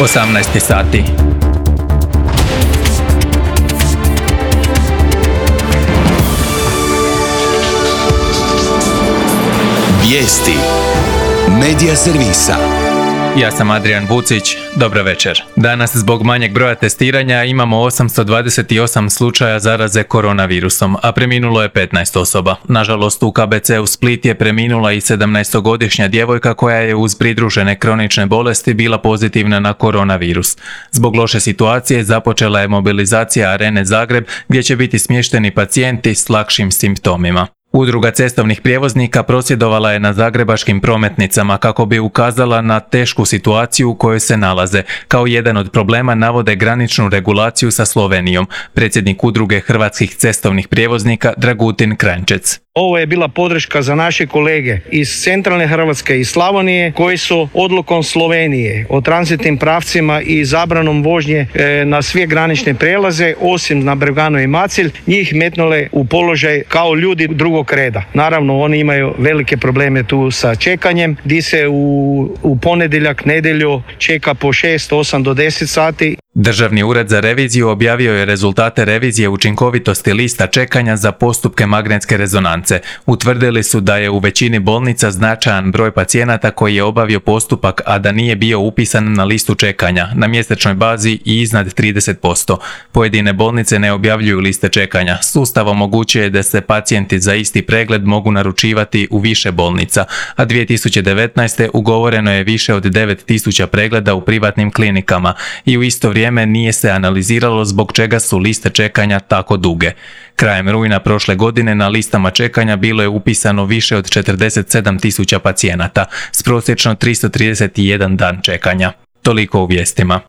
18 sati. Vijesti Medija servisa. Ja sam Adrian Vucić, dobro večer. Danas zbog manjeg broja testiranja imamo 828 slučaja zaraze koronavirusom, a preminulo je 15 osoba. Nažalost, u KBC-u Split je preminula i 17-godišnja djevojka koja je uz pridružene kronične bolesti bila pozitivna na koronavirus. Zbog loše situacije započela je mobilizacija Arene Zagreb gdje će biti smješteni pacijenti s lakšim simptomima. Udruga cestovnih prijevoznika prosvjedovala je na zagrebačkim prometnicama kako bi ukazala na tešku situaciju u kojoj se nalaze. Kao jedan od problema navode graničnu regulaciju sa Slovenijom. Predsjednik Udruge hrvatskih cestovnih prijevoznika Dragutin Kranjčec. Ovo je bila podrška za naše kolege iz centralne Hrvatske i Slavonije koji su odlukom Slovenije o tranzitnim pravcima i zabranom vožnje na sve granične prelaze, osim na Breganu i Macelj, njih metnule u položaj kao ljudi drugog reda. Naravno, oni imaju velike probleme tu sa čekanjem, gdje se u ponedjeljak, nedjelju čeka po 6, 8 do 10 sati. Državni ured za reviziju objavio je rezultate revizije učinkovitosti lista čekanja za postupke magnetske rezonance. Utvrdili su da je u većini bolnica značajan broj pacijenata koji je obavio postupak, a da nije bio upisan na listu čekanja, na mjesečnoj bazi i iznad 30%. Pojedine bolnice ne objavljuju liste čekanja. Sustav omogućuje da se pacijenti za isti pregled mogu naručivati u više bolnica, a 2019. ugovoreno je više od 9000 pregleda u privatnim klinikama i u isto vrijeme nije se analiziralo zbog čega su liste čekanja tako duge. Krajem rujna prošle godine na listama čekanja bilo je upisano više od 47.000 pacijenata s prosječno 331 dan čekanja. Toliko u vijestima.